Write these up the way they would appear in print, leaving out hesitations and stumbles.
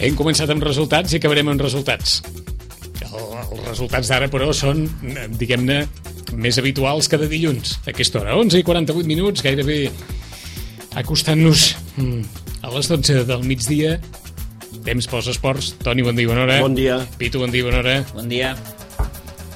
Hem començat amb resultats i acabarem amb resultats. Els resultats d'ara, però, són, diguem-ne, més habituals que de dilluns, a aquesta hora. 11:48, gairebé acostant-nos a les 12 del migdia. Temps pels esports. Toni, bon dia, bona hora. Bon dia. Pitu, bon dia, bona hora. Bon dia.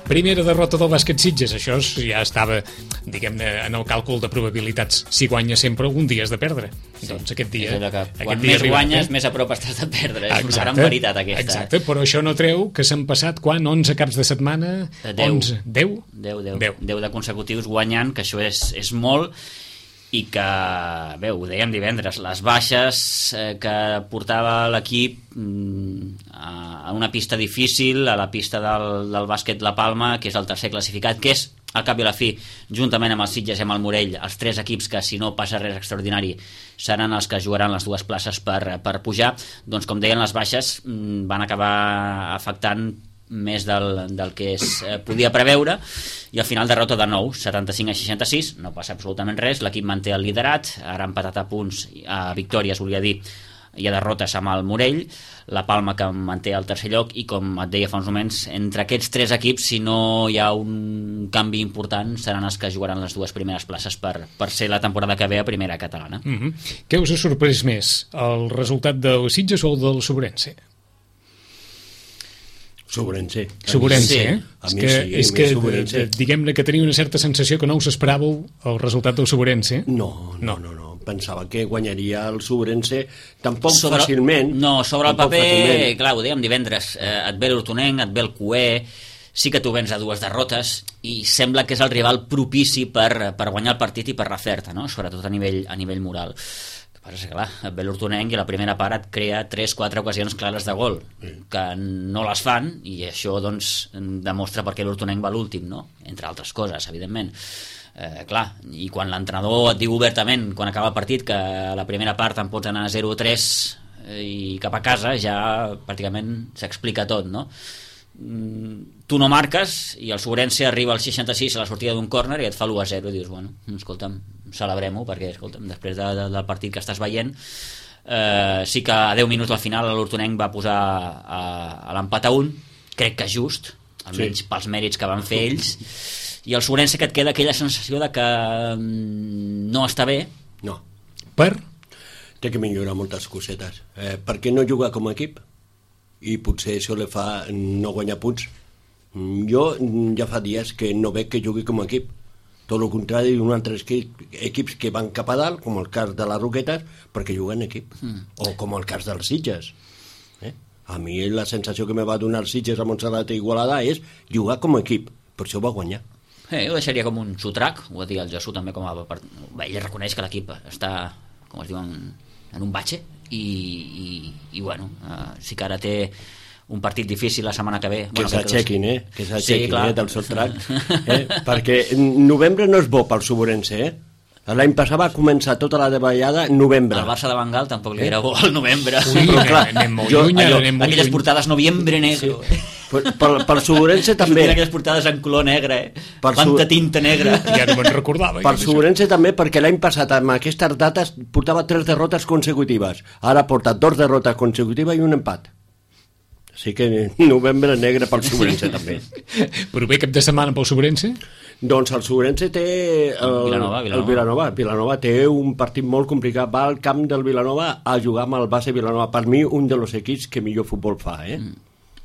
Primera derrota del bàsquet Sitges. Això ja estava, diguem-ne, en el càlcul de probabilitats. Si guanya sempre, algun dia has de perdre. Sí, doncs aquest dia... Quan més guanyes, més a prop estàs de perdre. És una gran veritat, aquesta. Exacte, però això no treu que s'han passat, quan? 11 caps de setmana? 10. 10 de consecutius guanyant, que això és molt, i que, bé, ho dèiem divendres, les baixes que portava l'equip a una pista difícil, a la pista del bàsquet La Palma, que és el tercer classificat, que és, al cap i a la fi, juntament amb el Sitges i amb el Morell, els tres equips que, si no passa res extraordinari, seran els que jugaran les dues places per pujar. Doncs, com deien, les baixes van acabar afectant més del que es podia preveure, i al final derrota de nou, 75-66, no passa absolutament res, l'equip manté el liderat, ara empatat a punts, a victòries, volia dir, i a derrotes amb el Morell, la Palma que manté el tercer lloc, i com et deia fa uns moments, entre aquests tres equips, si no hi ha un canvi important, seran els que jugaran les dues primeres places per ser la temporada que ve a primera catalana. Què us ha sorprès més, el resultat del Sitges o el del Sobrense? Sobrense, eh? És que diguem-ne que tenia una certa sensació que no us esperàveu el resultat del Sobrense. No. Pensava que guanyaria el Sobrense tampoc fàcilment. No, sobre el paper, clar, ho dèiem divendres, et ve l'Hortonenc, et ve el Cué, sí que tu vens a dues derrotes i sembla que és el rival propici per guanyar el partit i per refer-te, no? Sobretot a nivell moral. Però és clar, et ve l'Hortonenc i la primera part et crea 3-4 ocasions clares de gol que no les fan, i això doncs demostra per què l'Hortonenc va l'últim, no? Entre altres coses, evidentment. Clar, i quan l'entrenador et diu obertament quan acaba el partit que a la primera part en pots anar 0-3 i cap a casa, ja pràcticament s'explica tot, no? Tu no marques i el Sobrense arriba al 66 a la sortida d'un córner i et fa l'1-0 i dius, bueno, escolta'm, celebrem-ho, perquè escolta'm, després del partit que estàs veient, sí que a 10 minuts al final l'Hortonenc va posar a l'empat a 1, crec que just, almenys pels mèrits que van fer ells, i el Sobrense que et queda aquella sensació de que no està bé. No. Per? Té que millorar moltes cosetes. Per què no jugar com a equip? I potser això li fa no guanyar punts. Jo ja fa dies que no veig que jugui com a equip. Tot el contrari d'un altre equips que van cap a dalt, com el cas de les Roquetes, perquè juguen en equip. O com el cas dels Sitges. A mi la sensació que me va donar els Sitges a Montserrat i Igualada és jugar com a equip. Per això va guanyar. Jo ho deixaria com un sotrac, ho va dir el Jesús també, ell reconeix que l'equip està, com es diu, en un batxe, i bueno, sí que ara té un partit difícil la setmana que ve. Que s'aixequin, que s'aixequin del sotrac, perquè novembre no és bo pel Sobrense, l'any passat va començar tota la davallada en novembre. El Barça de Bengal tampoc li era bo al novembre. Però clar, anem molt lluny. Aquelles portades noviembre negre. Pel Sobrense també. Aquelles portades en color negre, quanta tinta negra. Ja no me'n recordava. Pel Sobrense també, perquè l'any passat amb aquestes dates portava 3 derrotes consecutives. Ara porta 2 derrotes consecutives i un empat. Així que novembre negre pel Sobrense també. Però bé, cap de setmana pel Sobrense? Doncs el Sobrense té el Vilanova té un partit molt complicat, va al camp del Vilanova a jugar amb el base Vilanova, per mi un dels equips que millor futbol fa,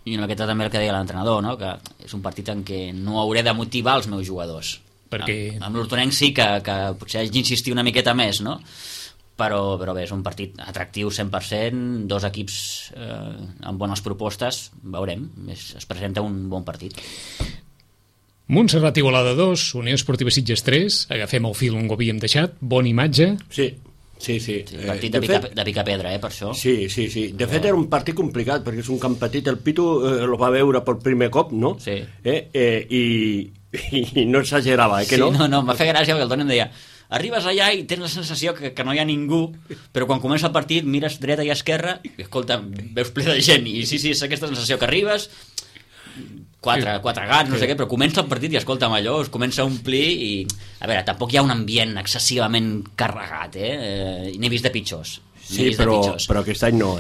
I en aquest també el que deia l'entrenador, no? Que és un partit en què no hauré de motivar els meus jugadors, perquè amb l'Hortonenc sí que potser haig d'insistir una miqueta més, no? Però bé, és un partit atractiu 100%, dos equips amb bones propostes, veurem, es presenta un bon partit. Montserrat Igualada 2, Unió Esportiva Sitges 3, agafem el fil on ho havíem deixat, bona imatge. Sí. Partit de picar-pedra, per això. Sí. De fet, era un partit complicat, perquè és un camp petit. El Pitu el va veure per primer cop, no? Sí. I no exagerava, que no? No, em va fer gràcia, perquè el Toni em deia, arribes allà i tens la sensació que no hi ha ningú, però quan comença el partit mires dreta i esquerra i, escolta, veus ple de gent, i sí, és aquesta sensació que arribes... quatre gats, no sé què, però comença el partit i escolta'm, allò es comença a omplir i, a veure, tampoc hi ha un ambient excessivament carregat, n'he vist de pitjors. Sí, però aquest any no,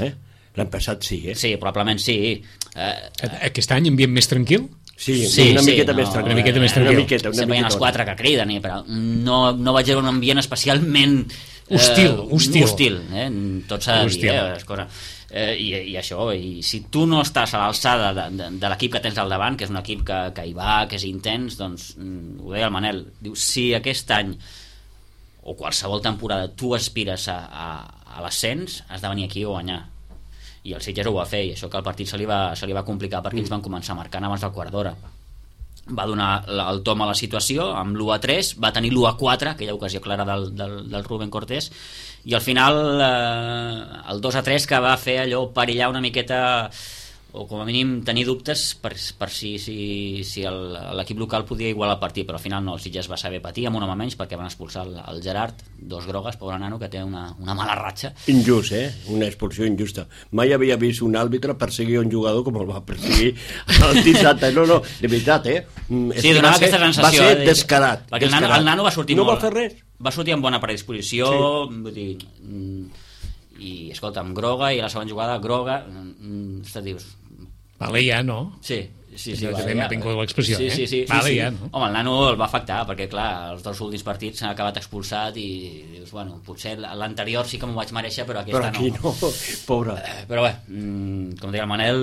L'any passat sí, Sí, probablement sí. Aquest any ambient més tranquil? Sí, una miqueta més tranquil. Una miqueta més tranquil. Sempre hi ha els 4 que criden, però no vaig veure un ambient especialment hostil, tot s'ha de dir, cosa. I això, i si tu no estàs a l'alçada de l'equip que tens al davant, que és un equip que hi va, que és intens, doncs ho deia el Manel, diu, si aquest any o qualsevol temporada tu aspires a l'ascens, has de venir aquí a guanyar, i el Sitges ho va fer, i això que el partit se li va complicar perquè ells van començar marcant abans del quart d'hora. Va donar el tom a la situació amb l'1-3, va tenir l'1-4, aquella ocasió clara del Rubén Cortés, i al final el 2-3 que va fer allò perillar una miqueta, o com a mínim tenir dubtes per si l'equip local podia igualar el partit, però al final no, el Sitges va saber patir amb un home menys perquè van expulsar el Gerard, 2 grogues, pobre nano, que té una mala ratxa. Injust, una expulsió injusta. Mai havia vist un àrbitre perseguir un jugador com el va perseguir el dissabte. No, de veritat, Sí, donava aquesta sensació. Va ser descarat. Perquè el nano va sortir no molt... va fer res. Va sortir amb bona predisposició, sí. Vull dir, i escolta, amb groga, i a la segona jugada groga, dius... Vale, ja, no? Sí, vale, ja. Tinc l'expressió, sí. Vale, ja, no? Home, el nano el va afectar, perquè clar, els 2 últims partits s'han acabat expulsat i dius, bueno, potser l'anterior sí que m'ho vaig mereixer, però aquesta aquí no, pobre. Però bé, com deia el Manel,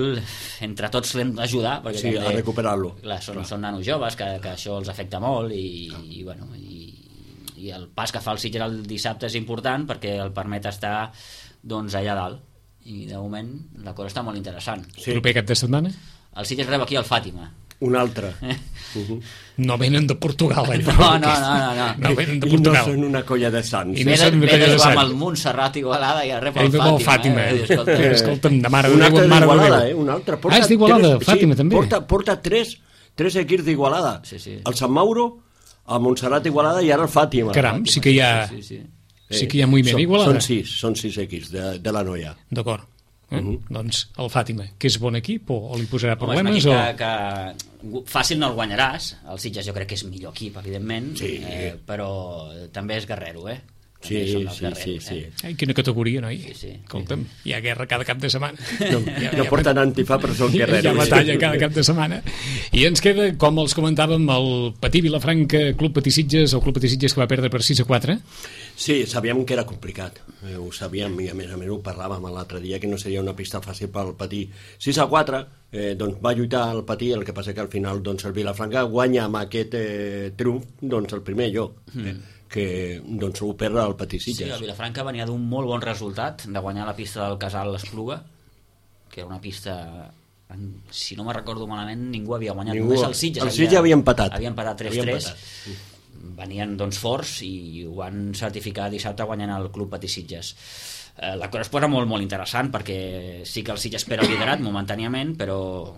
entre tots l'hem d'ajudar, perquè sí, a recuperar-lo. Clar, són nanos joves, que això els afecta molt, i bueno, i el pas que fa el Sitges el dissabte és important perquè el permet estar doncs allà dalt, i de moment la cosa està molt interessant. Sí. Proper cap de setmana? El Sitges rep aquí el Fàtima. Un altre. No venen de Portugal, No. No venen de Portugal. I no són una colla de sants. I ve de jugar amb el Montserrat Igualada i rep el Fàtima. Escolta'm, de mare un altre d'Igualada, un altre. És d'Igualada, Fàtima també. Porta tres equips d'Igualada. Sí. El Sant Mauro, el Montserrat Igualada i ara el Fàtima. Caram, sí que hi ha... Sí que hi ha moviment Igualada. Són 6 equips de la noia. D'acord. Doncs el Fàtima, que és bon equip o li posarà problemes? És un equip que fàcil no el guanyaràs. El Sitges jo crec que és millor equip, evidentment, però també és guerrero, Sí. Ai, quina categoria, noi? Sí. Escolta'm, hi ha guerra cada cap de setmana. No porten antifa, però són guerreros. Hi ha batalla cada cap de setmana. I ens queda, com els comentàvem, el Patí Vilafranca, Club Patí Sitges, el Club Patí Sitges que va perdre per 6-4. Sí, sabíem que era complicat. Ho sabíem, i a més ho parlàvem l'altre dia, que no seria una pista fàcil pel Patí. 6-4, doncs va lluitar el Patí, el que passa que al final doncs, el Vilafranca guanya amb aquest triomf doncs, el primer lloc. Que doncs, ho perd el Patí Sitges. Sí, el Vilafranca venia d'un molt bon resultat de guanyar la pista del Casal l'Espluga, que era una pista, si no me recordo malament, ningú havia guanyat. Només el Sitges. El Sitges havia empatat. Havia empatat 3-3. Venien doncs forts i ho van certificar dissabte guanyant el Club Patí Sitges. La cosa es posa molt, molt interessant perquè sí que el Sitges espera el liderat momentàniament, però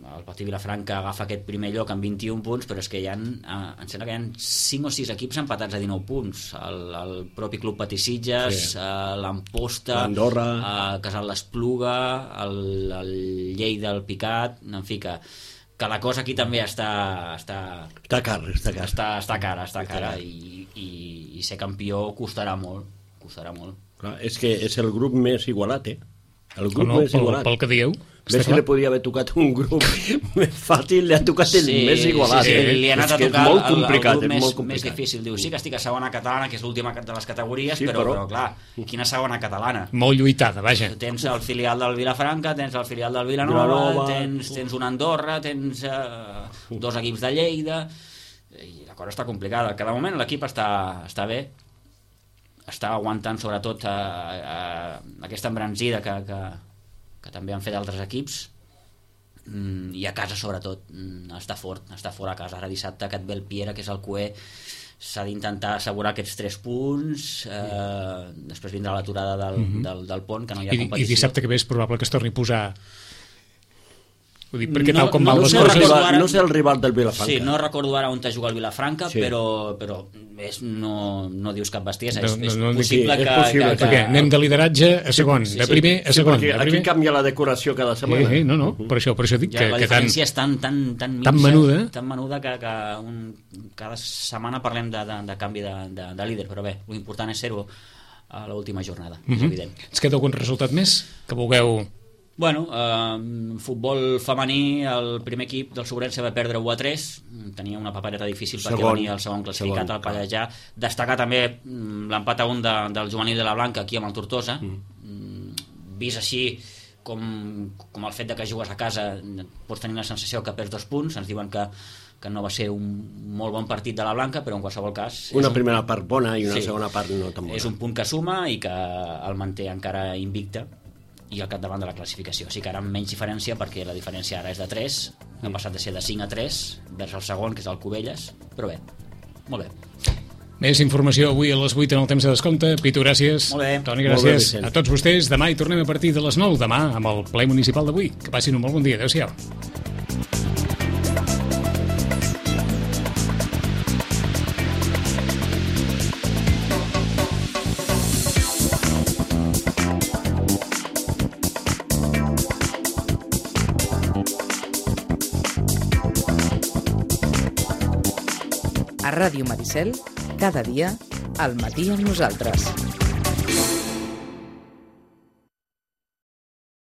el Patí Vilafranca agafa aquest primer lloc amb 21 punts, però és que em sembla que hi ha 5 o 6 equips empatats a 19 punts. El propi Club Patí Sitges, l'Amposta, l'Andorra, Casal l'Espluga, el Lleida, el Picat, en fi, que la cosa aquí també està cara i ser campió costarà molt. Clar, és que és el grup més igualat, el grup més igualat. Pel que dieu. Ves que li podia haver tocat un grup més fàcil, li ha tocat el més igualat. Sí, li ha anat a tocar el grup més difícil. Diu, sí que estic a segona catalana, que és l'última de les categories, però clar, quina segona catalana? Molt lluitada, vaja. Tens el filial del Vilafranca, tens el filial del Vilanova, tens una Andorra, tens 2 equips de Lleida, i la cosa està complicada. Que de moment l'equip està bé, està aguantant sobretot aquesta embranzida que també han fet altres equips, i a casa sobretot està fort a casa. Ara dissabte que et ve el Piera, que és el cué, s'ha d'intentar assegurar aquests 3 punts, després vindrà l'aturada del pont, que no hi ha competició. I dissabte que ve és probable que es torni a posar... Ho dic perquè tal com van les coses... No sé el rival del Vilafranca. Sí, no recordo ara on te juga el Vilafranca, però no dius cap bestiesa. És possible que... Perquè anem de lideratge a segon, de primer a segon. Aquí canvia la decoració cada setmana. No, per això dic que... La diferència és tan menuda que cada setmana parlem de canvi de líder, però bé, l'important és ser-ho a l'última jornada, és evident. Ens queda algun resultat més que vulgueu Bueno, futbol femení, el primer equip del Sobrense va perdre 1-3, tenia una papereta difícil perquè venia el segon classificat al Pallejà. Destacar també l'empat a 1 del juvenil de la Blanca aquí amb el Tortosa. Vist així com el fet de que jugues a casa pots tenir la sensació que perds 2 punts. Ens diuen que no va ser un molt bon partit de la Blanca, però en qualsevol cas... Una primera part bona i una segona part no tan bona. És un punt que suma i que el manté encara invicte i al capdavant de la classificació. O sigui que ara amb menys diferència, perquè la diferència ara és de 3, ha passat de ser de 5-3 vers el segon, que és el Cubelles, però bé, molt bé. Més informació avui a les 8 en el temps de descompte. Pitu, gràcies. Molt bé. Toni, gràcies. A tots vostès. Demà hi tornem a partir de les 9, demà amb el ple municipal d'avui. Que passin un molt bon dia. Adéu-siau. A Ràdio Maricel, cada dia, al matí amb nosaltres.